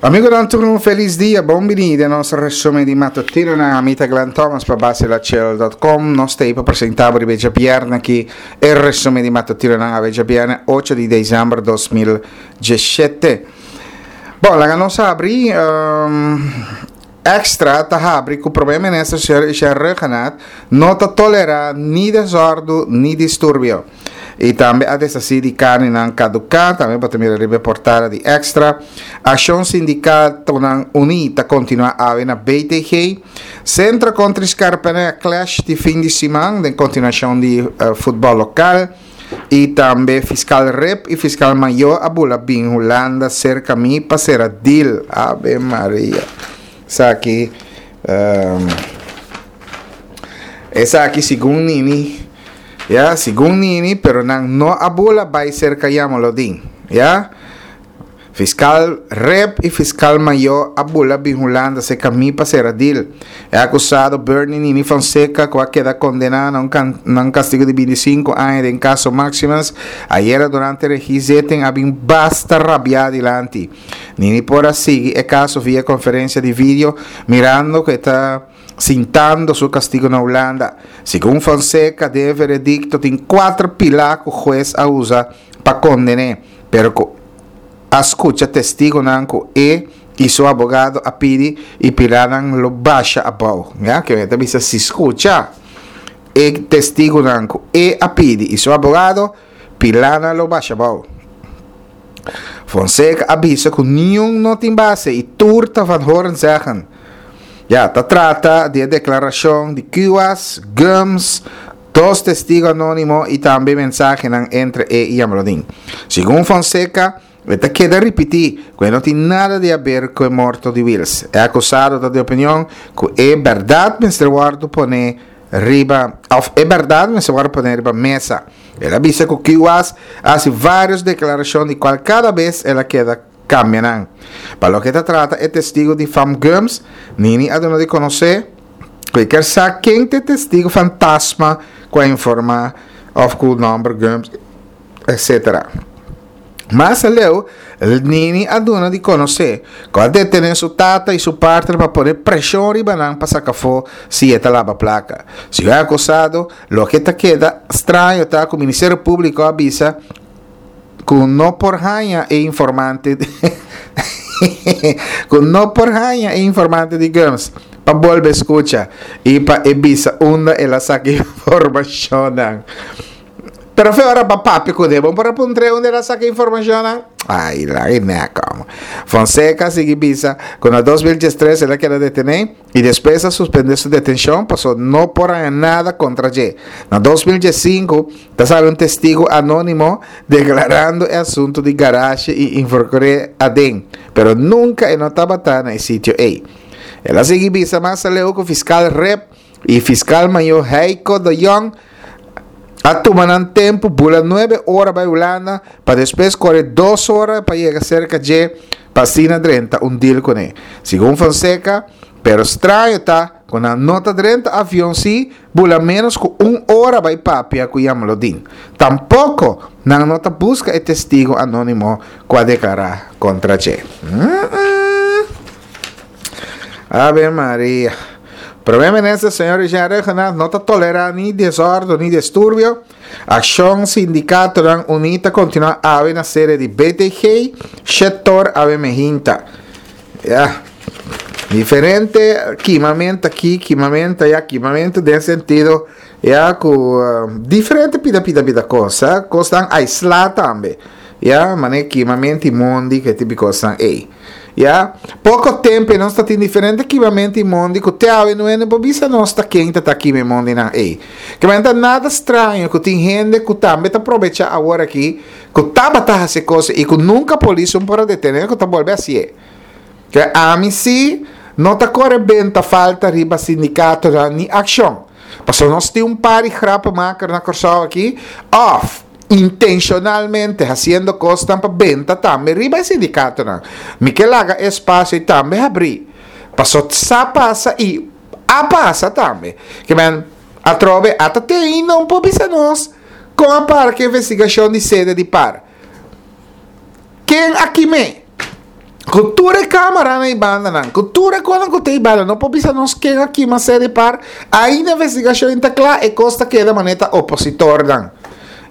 Amigonan tur un felis dia, bon bini den nos resumen di matutinonan. Ami ta Glenn Thomas pa baselachel.com. Nos ta pa presenta bo riba e djabièrnè aki e resumen di matutinonan awe djabièrnè 8 di december 2017. Bon, laga nos habri um, Extra ta habri ku Prome Minister señor Ishar Rhuggenaath no ta tolerá ni desòrdu ni disturbio. I tambe a deshasí di karninan kaduká, tambe bo ta mira riba e portada di Extra. Akshon Sindikatonan Uní ta kontinuá awe na BTG. Centro kontra Scarpene clash di fin di siman den kontinuashon di futbòl lokal. I tambe Fiskal Rip i Fiskal Mayó a bula bin Hulanda serka mi pa sera deal. Ave Maria. Esaki esaki segun Nini. Ya, segun Nini, pero nan no a bula bai serka Jamolodin. Ya. Fiskal Rip i Fiskal Mayó a bula bin Hulanda serka mi pa sera deal. E akusado Bernie Nini Fonseca ku a keda kondená na un na un kastigu di 25 aña den kaso Maximus, ayera durante regizetting a bin basta rabiá dilanti. Nini por a sigui e kaso via konferensia di video mirando ku e ta sintando su kastigu na Hulanda. Segun Fonseca den e veredikto tin kuater pilá ku hues a usa pa konden'é, pero ku a skucha testigonan ku e i su abogado a pidi i pilanan lo basha abou. Ya, ke ta bisa si skucha e testigonan ku e a pidi i su abogado, pilanan lo basha abou. Fonseca a bisa ku niun no tin base i tur ta van horen zeggen. Ya, ta trata di e deklarashon di Kuwas, Gumbs, Dos testigo anónimo i tambe mensahenan entre e i Jamrodin. Segun Fonseca, e ta keda ripití ku e no tin nada di haber ku e morto di Wiels. E akusado ta di opinion ku e bèrdat mester wòrdu poné riba òf e bèrdat mester wòrdu poné riba mesa. El a bisa ku Kuwas a hasi vários deklarashon di kual kada bes el a keda kambia nan. Pa loke ta trata e testigo di fam Gumbs, Nini a duna di konosé ku e kier sa ken ta e testigo fantasma ku a informá òf ku nòmber Gumbs etc. Mas aleu, Nini a duna di konosé ku a detené su tata i su partner pa pone preshon riba nan pa saka afó si e ta laba plaka. Segun e akusado, loke ta keda straño ta ku Ministerio Públiko a bisa ku no por haña e informante ku no por haña e informante di Gumbs pa bolbe skucha i pa e bisa unda el a saka informashonnan. Pero fe ora pa papia ku de, bo por a puntr'é unda el a saka informashonnan? Ai, laga e nèk amo. Fonseca sigui bisa ku na 2013 el a keda detené i despues a suspendé su detenshon paso no por haña nada kontra dje. Na 2015 Ta sali un testigu anónimo deklarando e asuntu di garashe i involukr'é aden, pero nunka e no tabata na e sitio ei. El a sigui bisa mas aleu ku fiskal Rip i fiskal mayor Heiko de Jong a tuma nan tempu bula nuebe ora bai Hulanda pa despues kore dos ora pa yega serka dje pa asina drenta un deal kuné. Segun Fonseca, pero straño ta ku nan no ta drenta avion si Bula ménos ku un ora bai papia ku Jamlodin. Tampoko nan no ta buska e testigu anónimo ku a deklará kontra dje. Ave Maria. Prome Minister señor Richard Rhuggenaath no ta tolerá ni desòrdu ni disturbio. Akshon Sindikatonan Uní ta kontinuá awe na sede di BTG, Shetor awe mehinta. Ya. Diferente kimamento aki, kimamento allá, kimamento den sentido ya ku diferente pida pida pida kos, eh, kosnan aislá tambe. Ya, mane kimamento i mondi ke tipo di kosnan ei. Ya, poko tempo nos ta tin diferente kimamento i mondi ku te awe no hende por bisa nos ta ken ta ta kima e mondinan ei. Ke manera ta nada straño ku tin hende ku tambe ta probechá awor aki ku tabata hasi kos i ku nunka polis un por a detené ku ta bolbe hasié. Ke ami si no ta kore benta falta riba sindikatonan ni akshon. Pasobra nos tin un par di grappenmaker na Kòrsou aki òf intenshonalmente hasiendo kosnan pa benta tambe riba e sindikatonan. Mi ke laga e espasio ei tambe habrí. Pasobra sa pasa i a pasa tambe. Ke men atrobe ata te ainda un por bisa nos Kon a para ku investigashon di sede di par? Ken a kim'é? Ku tur e kameranan ei bandanan, ku tur e konan ku ta ei banda, no por bisa nos ken a kima sede par, ainda investigashon ta kla, e kos ta keda manera ta opositornan.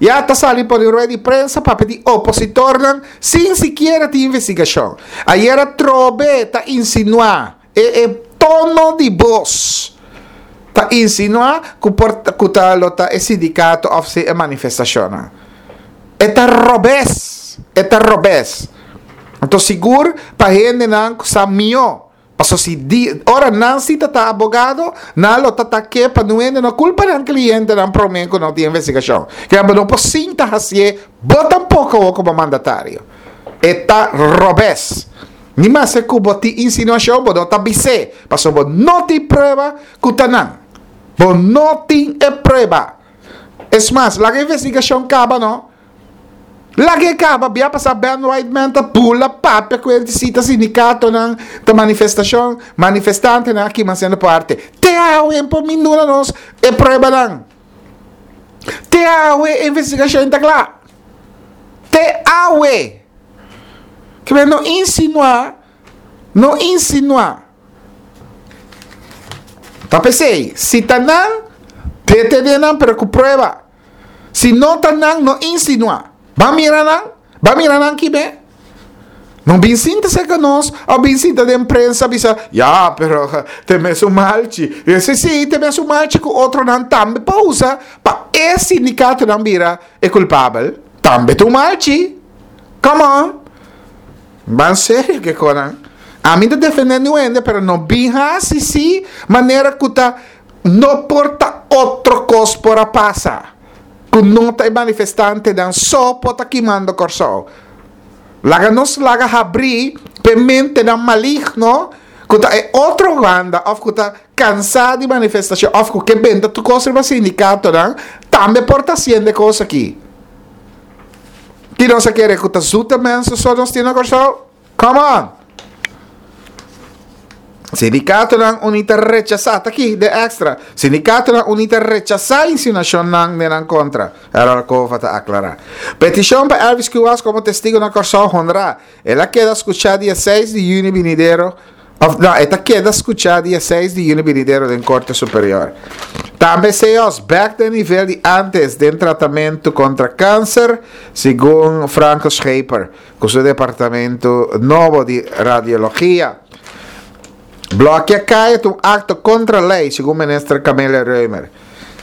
Ya ta sali pone un rueda di prensa papia di opositornan sin sikiera tin investigashon. Ayer atrobe ta insinuá e e tono di bos ta insinuá ku por ku ta lo ta e sindikato òf si e manifestashonnan. E ta robes, e ta robes. Anto sigur pa hendenan ku sa mihó. Paso si di ora nan si ta ta abogado, nan lo ta ta ke pa nu hende no kulpa nan klientenan prome ku no tin investigashon. Ke bo no por sinta hasié bo tampoko awor komo mandatario. E ta robes. Ni maske ku bo tin insinuashon bo no ta bis'é, paso bo no tin prueba ku ta nan. Bo no tin e prueba. Es mas, laga investigashon kaba no. Laga e kaba, bia pasá Ben Whiteman ta bula papia ku e sita sindikatonan ta manifestashon, manifestantenan a kima siendo parte. Te awe por min duna nos e pruebanan. Te awe e investigashon ta kla. Te awe. Ke no insinuá, no insinuá. Ta p'esei, si ta nan, detené nan pero ku prueba. Si no ta nan, no insinuá. Ban mira nan, ban mira nan kibe. No bin sinta serka nos of bin sinta den prensa bisa, ya, pero te mesun malchi. I si, si, te mesun malchi ku otronan tambe por usa pa e sindikatonan bira e kulpabel. Tambe ta un malchi. Come on. Ban serio ke konan. Ami ta defende niun hende, pero no bin hasi si manera ku ta No por ta otro kos por a pasa ku no ta e manifestantenan so por ta kimando Kòrsou. Laga nos laga habrí p'e mentenan maligno ku ta e otro banda òf ku ta kansá di manifestashon òf ku ke benta tur kos riba sindikatonan tambe por ta hasiendo e kos aki. Ki nos a kere ku ta zuta mensen so nos tin na Kòrsou? Come on! Sindikatonan Uní ta rechasá, ta aki de extra, Sindikatonan Uní ta rechasá insinuashonnan den nan kontra, Errol Cova ta aklará. Petishon pa Elvis Kuwas komo testigo na Kòrsou honrá. El a keda skuchá dia seis di yüni binidero, òf no, e ta keda skuchá dia seis di yüni binidero den Korte Superior. Tambe CEOS bèk den nivel di ántes den tratamentu kontra kanser, segun Franco Scheper. Ku su departamento nobo di radiologia. Blòkia kaya ta un akto kontra lei, segun minister Camelia Römer.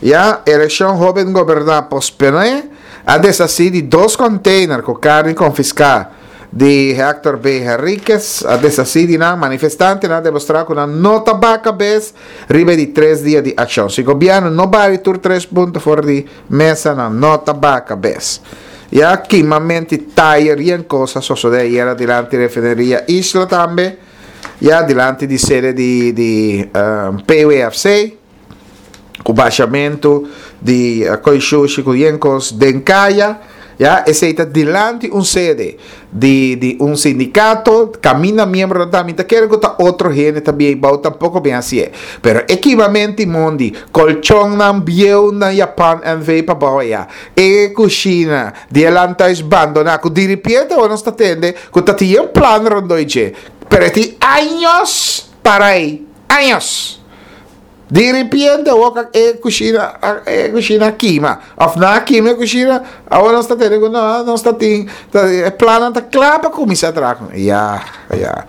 Ya, elekshon hóben goberná posponé a deshasí di dos kònteiner ku karni konfiská di Hector B. Henriquez. A deshasí di nan, manifestantenan a demostrá ku nan no ta baha kabes riba e di tres dia di akshon. Si gobièrnu no bari tur tres punto for di Mesa nan no ta baha kabes. Ya kimamenti tayer yen kos a sosode ayera dilanti refineria Isla tambe, ya dilanti di sede di di PWFC ku bashamentu di koi shushi ku yen kos den kaya. Ya, esei ta dilanti un sede di di un sindikato, kaminda miembronan ta, mi ta kere ku ta otro hende ta biei bou tampoko bin hasié. Pero e kimamenti mondi, kolchonnan bieu na Japan NV pa bou aya, e kushina di e landhuis bandoná ku diripiente awor nos ta tende ku ta tin yen plan rondó i dje, pero e tin años para ei, años. Di ripiente awor ka e kushina e kushina a kima òf nan a kima e kushina awor nos ta tene ku no nos ta tin e plannan ta kla pa kuminsá traha ku ya ya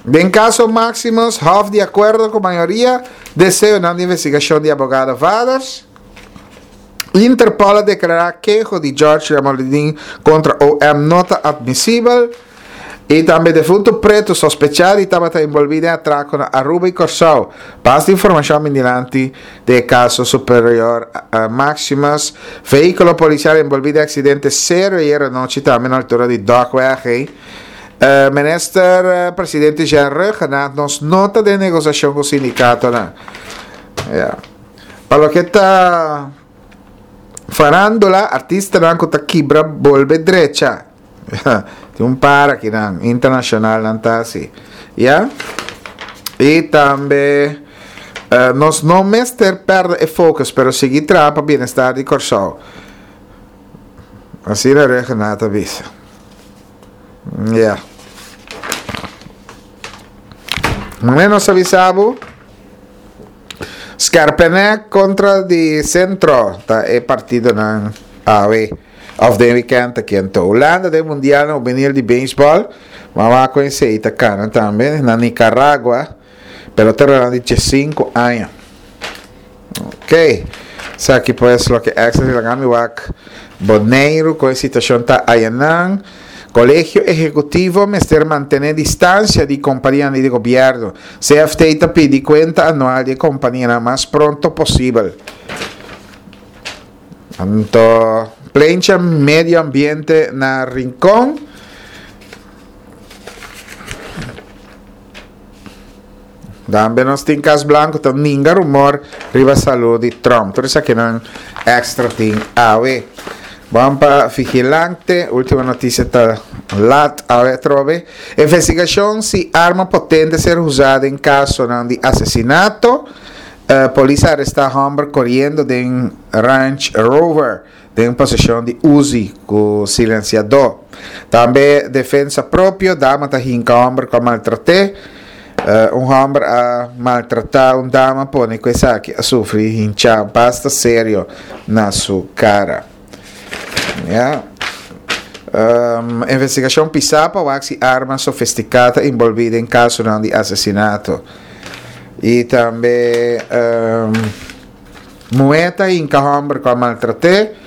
den kaso Maximus Hof di akuerdo ku mayoria deseonan di investigashon di abogado Vaders Interpol a deklará keho di George Jamaloodin kontra OM no ta atmisibel. I tambe defuntu pretu sospechá di tabata enbolbí den atrako na Aruba i Kòrsou. Bas di informashon bin dilanti den e kaso Superior Maximus. Vehíkulo polisial enbolbí den aksidente serio ayer anochi tambe na altura di Dokweg. Minister Presidente Jean Rhuggenaath nos no ta den negosiashon ku sindikatonan. Pa loke ta farándula, artistanan ku ta kibra bolbe drecha. Tin un par akinan, internacional nan ta asi. Ya? I tambe nos no mester perde e focus, pero sigui traha pa bienestar di Kòrsou. Asina Regenat a bisa. Ya. Mane nos a bisa bo, Skerpene kontra di Sentro ta e partidonan awe òf den wikènt aki. Anto Hulanda den mundialnan hubenil di beisbòl, mawak ku esei ta kana tambe na Nicaragua, peloteronan di diesinku aña. Ok, esaki pues loke extra si laga mi wak Boneiru kon e situashon ta ayanan. Kolegio Ehekutivo mester mantené distansia di kompanianan di gobièrnu. CFT ta pidi kuenta anual di e kompanianan mas pronto posibel. Anto plencha medio ambiente na Rincon. Tambe nos tin Cas Blanco ta ninga rumor riba salud di Trump. Tur esakinan extra tin awe. Ban pa Vigilante, ultimo noticia ta lat awe atrobe. Investigacion si arma potente ser usa den casonan di asesinato. Polis a aresta homber coriendo den Range Rover. Den poseshon di Uzi ku silensiadó. Tambe defensa propio, dama ta hinka hòmber ku a maltrat'é. Un hòmber a maltratá un dama pone ku esaki a sufri hinchá basta serio na su kara. Ya. Investigashon pisá pa wak si arma sofistiká ta inbolbí den kasonan di asesinato. I tambe. Muhé ta hinka hòmber ku a maltrat'é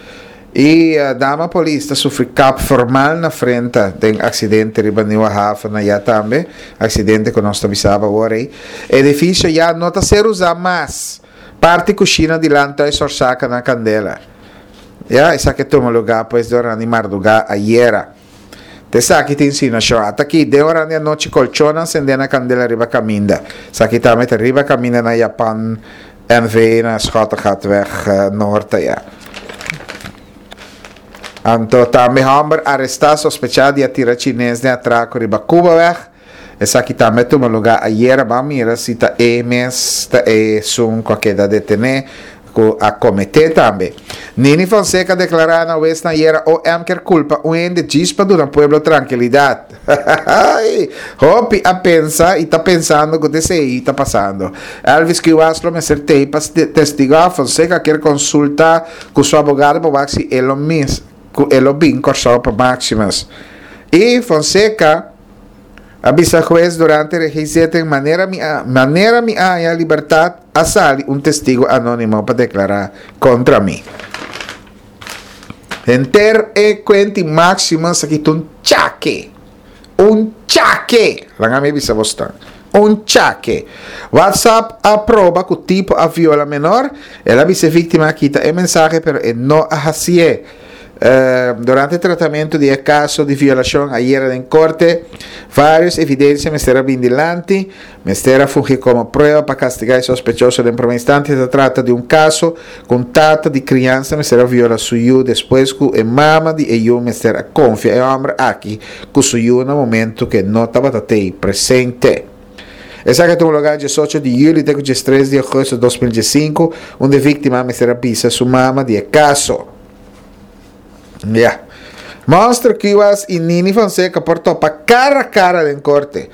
i dama polis ta sufri kap formal na frenta den aksidente riba Nieuwe Haven na ya tambe, aksidente ku nos ta bisaba awor ei. Edifisio ya no ta ser usá mas. Parti kushina di Landhuis Orsaka na kandela. Ya, esaki a tuma lugá pues durante mardugá ayera. Esaki ta insinuashon. Ata aki, den oran di anochi kolchonnan sendé na kandela riba kaminda. Esaki tambe ta riba kaminda na Japan NV na Schottegatweg Noord aya. Anto tambe hòmber arestá sospechá di a tira chines den atrako riba Cubaweg. Esaki tambe a tuma lugá ayera. Ban mira si ta e mes ta esun ku a keda detené ku a kometé tambe. Nini Fonseca a deklará na wes na ayera OM kier kulpa un hende djis pa duna pueblo trankilidat. Hopi a pensa i ta pensando ku ta esei ta pasando. Elvis Kuwas lo mester tei pa testigá. Fonseca kier konsulta ku su abogado pa wak si e lo mis ku e lo bin Kòrsou pa Maximus. I Fonseca. A bisa hues durante regizetting manera mi a manera mi a haña libertat a sali un testigo anonimo pa deklará kontra mi. Henter e kuenti Maximus aki ta un chake. Un chake! Laga mi bisa bosnan. Un chake. WhatsApp a proba ku tipo a viola menor. El a bisa e víktima a kita e mensahe pero e no a hasié. Durante tratamentu di e kaso di violashon ayera den korte, vários evidensia mester a bin dilanti, mester a fungi komo prueba pa kastigá e sospechoso den promé instante. Ta trata di un kaso ku un tata di kriansa mester a viola su yu despues ku e mama di e yu mester a konfia e hòmber aki ku su yu na momentu ku e no tabata tei presente. Esaki a tuma lugá diesocho di yüli te ku diestres di ougùstùs 2015, unda e víktima mester a bisa su mama di e kaso. Ya. Monster Cuevas y Nini Fonseca por topa cara a cara den corte.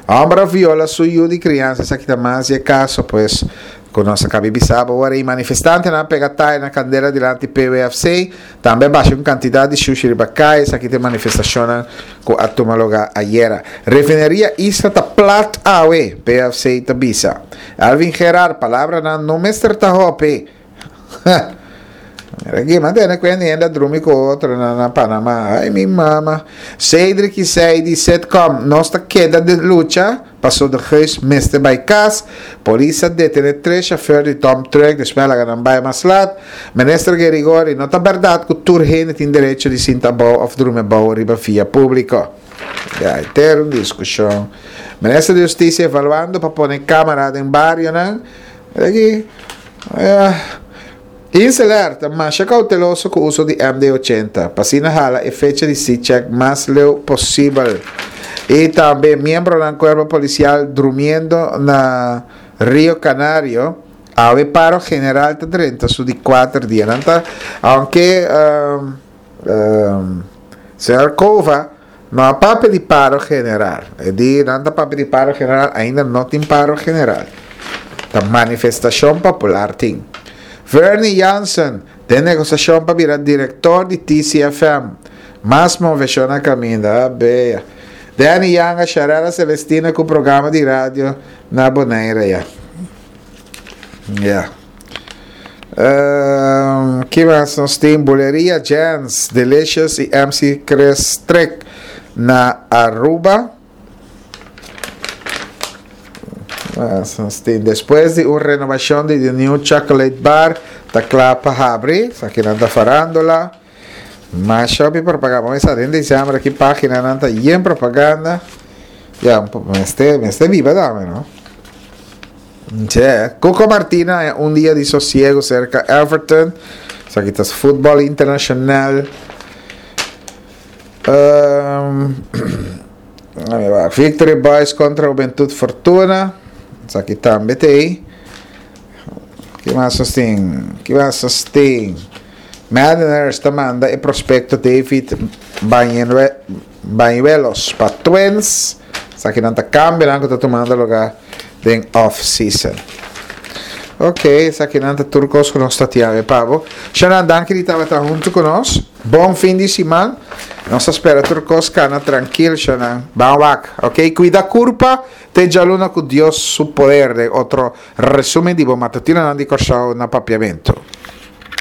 Homber a viola su yu di crianza, esaki ta mas di e caso pues cu nos a cabi bisa bo ora y manifestantenan a pega tayo na candela dilanti PWFC, tambe a basha un cantidad di shushi riba caya, esaki ta e manifestacionnan cu a tuma lugar ayera. Refineria Isla ta plat awe, PWFC ta bisa. Alvin Gerard, palabranan no mester ta hopi. Mira aquí, mantene cuenta hende a drumi cu otro na, na Panamá. Ay, mi mama. Cedric y Sadie, sitcom. Nos ta keda de lucha. Paso de Geus mester bay cas. Polis a detene tres chauffeur di dump truck despues a laga nan bay mas laat. Minister Gerigori, no ta berdad cu tur hende tin derecho di sinta abou of drumi abou riba via publico. Ya, henter un discusion. Minister di Justicia evaluando pa pone camara den barionan. Mira aki. Inseler ta masha kauteloso ku uso di MD 80, pa asina hala e fecha di C-check mas leu posibel. I tambe miembronan kuerpo polisial drumiendo na Rio Canario, awe paro general ta drenta su di kuater dia. Nan ta, aunke señor Cova. No a papia di paro general. E di nan ta papia di paro general, ainda no tin paro general. Ta manifestacion popular tin. Vernie Jansen den negociacion pa bira director di TCFM. Mas movecion na caminda. Ah, bea. Danny Yanga, Sharella Celestina cu programa di radio na Bonaire ya. Ya. Um, ki mas nos tin? Buleria Jens, Delicious y MC Chris Trek na Aruba. Mas nos tin? Despues di un renovacion di The New Chocolate Bar, ta kla pa habri. Esaki nan ta farandola. Masha hopi propaganda. Bo mester den december aki paginanan ta yen propaganda. Ya, mester, mester biba tambe, no? Che, Cuco Martina haña un dia di sosiego serka Everton. Esaki ta futbol internacional. Um, Victory Boys kontra Juventud Fortuna. Esaki tambe ta ei. Ki mas nos tin? Ki mas nos tin? Mariners ta manda e prospecto David Bañuelos pa Twins. Esakinan ta cambionan cu ta tumando lugar den off season. Ok, esakinan ta tur cos cu nos ta tin awe pa bo. Shanan, danki di tabata hunto cu nos. Bon fin di siman. Nos ta spera tur cos cana trankil, Shanan. Ban wak, ok? Cuida curpa te djaluna cu Dios su poder den otro resumen di bo matutinonan di Corsou na Papiamento.